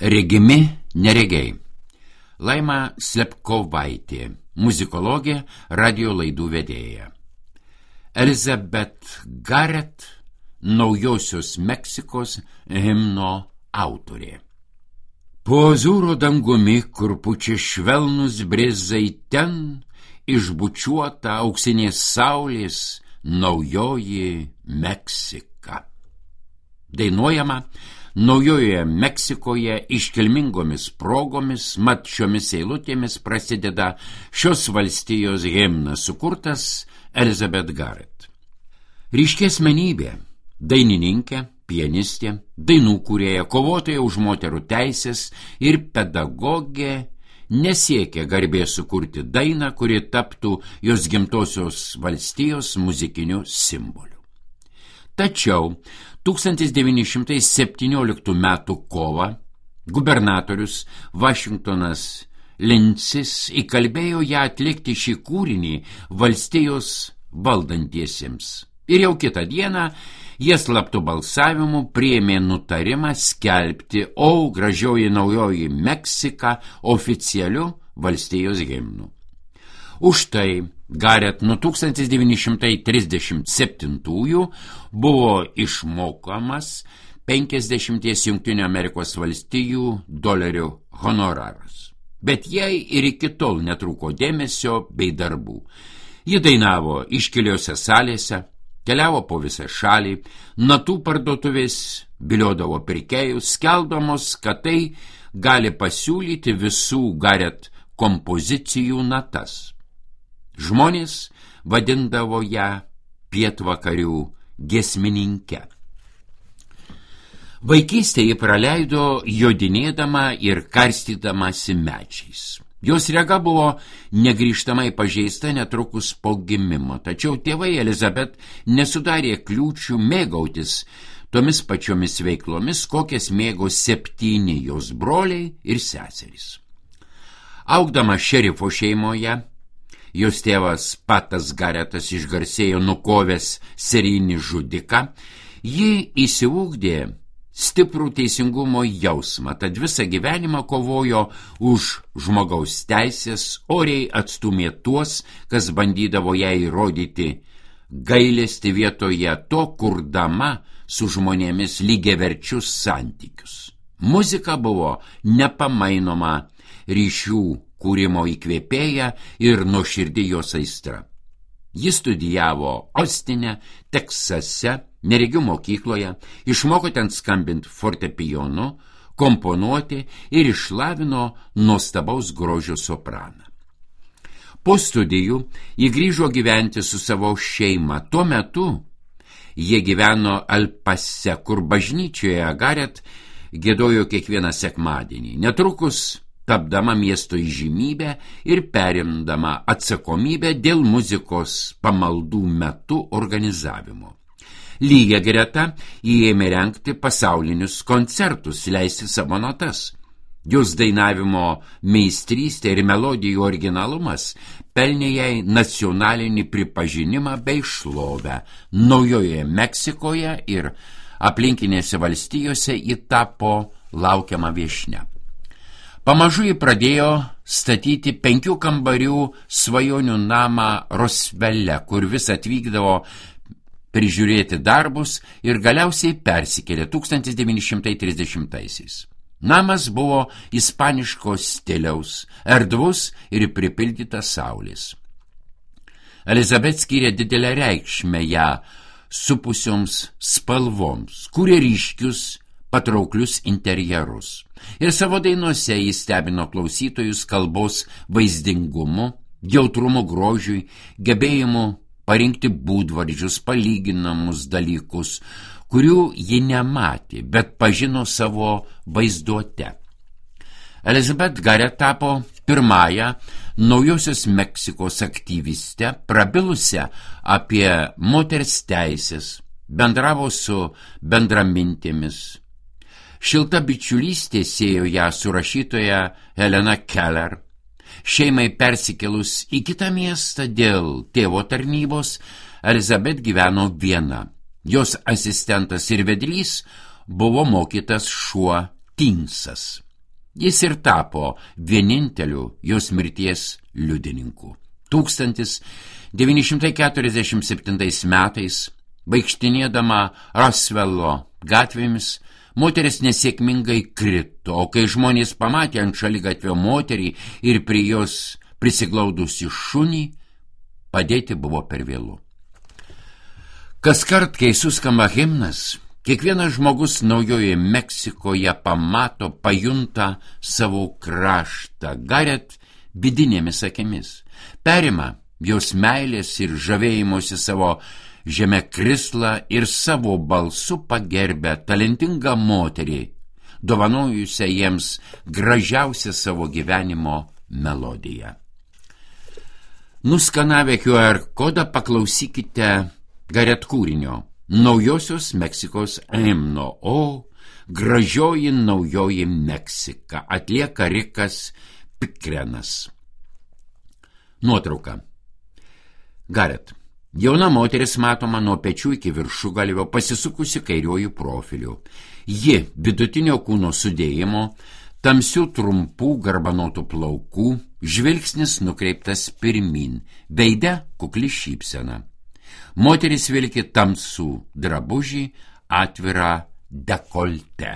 Regimi neregiai. Laima Slepkovaitė, muzikologė, radio laidų vedėja. Elizabeth Garrett, Naujosios Meksikos himno autorė. Po azūro dangumi, kur pučia švelnus brizai, ten išbučiuota auksinės saulės Naujoji Meksika. Dainuojama Naujojoje Meksikoje iškilmingomis progomis, mat šiomis eilutėmis prasideda šios valstijos himnas, sukurtas Elizabeth Garrett. Ryški asmenybė, dainininkė, pianistė, dainų kūrėja, kovotoja už moterų teisės ir pedagogė nesiekia garbės sukurti dainą, kuri taptų jos gimtosios valstijos muzikiniu simboliu. Tačiau 1917 metų kovą gubernatorius Vašingtonas Lincis įkalbėjo ją atlikti šį kūrinį valstijos valdantiesiems. Ir jau kitą dieną jie slaptu balsavimu priėmė nutarimą skelbti "O gražioji Naujoji Meksika" oficialiu valstijos himnu. Už tai Garrett nuo 1937 buvo išmokamas 50 Jungtinių Amerikos valstijų dolerių honoraras. Bet jai ir iki tol netrūko dėmesio bei darbų. Ji dainavo iškiliose salėse, keliavo po visą šalį, natų parduotuvės viliodavo pirkėjus, skelbdamos, kad tai gali pasiūlyti visų Garrett kompozicijų natas. Žmonės vadindavo ją pietvakarių giesmininke. Vaikystę ji praleido jodinėdama ir karstydamasi medžiais. Jos rega buvo negrįžtamai pažeista netrukus po gimimo, tačiau tėvai Elizabeth nesudarė kliūčių mėgautis tomis pačiomis veiklomis, kokias mėgo 7 jos broliai ir seserys. Augdama šerifo šeimoje, jos tėvas Patas Garrettas išgarsėjo nukovęs serijinį žudiką, ji įsiugdė stiprų teisingumo jausmą, tad visą gyvenimą kovojo už žmogaus teisės, oriai atstūmė tuos, kas bandydavo jai įrodyti gailestį vietoje to, kurdama su žmonėmis lygiaverčius santykius. Muzika buvo nepamainoma ryšių kūrimo įkvėpėja ir nuoširdi jos aistra. Ji studijavo Ostine, Teksase, neregių mokykloje, išmoko ten skambinti fortepijonu, komponuoti ir išlavino nuostabaus grožio sopraną. Po studijų ji grįžo gyventi su savo šeima. Tuo metu jie gyveno Alpase, kur bažnyčioje Garrett giedojo kiekvieną sekmadienį. Netrukus tapdama miesto įžymybę ir perimdama atsakomybę dėl muzikos pamaldų metu organizavimo. Lygia greta jį ėmė rengti pasaulinius koncertus, leisti savo natas. Jos dainavimo meistrystė ir melodijų originalumas pelnė jai nacionalinį pripažinimą bei šlovę. Naujojoje Meksikoje ir aplinkinėse valstijose ji tapo laukiama viešnia. Pamažu ji pradėjo statyti 5 kambarių svajonių namą Rosvelle, kur vis atvykdavo prižiūrėti darbus ir galiausiai persikėlė 1930-aisiais. Namas buvo ispaniško stiliaus, erdvus ir pripildytas saulės. Elizabeth skyrė didelę reikšmę ją supusioms spalvoms, kūrė ryškius, patrauklius interjerus. Ir savo dainuose jis stebino klausytojus kalbos vaizdingumu, jautrumu grožiui, gebėjimu parinkti būdvardžius, palyginamus dalykus, kurių ji nematė, bet pažino savo vaizduote. Elizabeth Garrett tapo pirmąją Naujosios Meksikos aktyvistę, prabilusią apie moters teisės, bendravo su bendramintėmis. Šilta bičiulystė siejo ją su rašytoja Helena Keller. Šeimai persikėlus į kitą miestą dėl tėvo tarnybos, Elizabeth gyveno viena. Jos asistentas ir vedlys buvo mokytas šuo Tinsas. Jis ir tapo vieninteliu jos mirties liudininku. 1947 metais, vaikštinėdama Rosvello gatvėmis, moteris nesėkmingai krito, o kai žmonės pamatė ant šaligatvio moterį ir prie jos prisiglaudusi šunį, padėti buvo per vėlu. Kaskart, kai suskamba himnas, kiekvienas žmogus Naujojoje Meksikoje pamato, pajunta savo kraštą, Gareth vidinėmis akimis, perima jos meilės ir žavėjimosi savo žeme krislą ir savo balsu pagerbia talentingą moterį, dovanojusią jiems gražiausią savo gyvenimo melodiją. Nuskanavę QR kodą paklausykite Gareth kūrinio Naujosios Meksikos himno O gražioji Naujoji Meksika, atlieka Rikas Pikrenas. Nuotrauka. Gareth. Jauna moteris matoma nuo pečių iki viršugalvio, pasisukusi kairiuoju profiliu. Ji vidutinio kūno sudėjimo, tamsių trumpų garbanotų plaukų, žvilgsnis nukreiptas pirmin, veide kukli šypsena. Moteris vilki tamsų drabužį, atvirą dekoltę.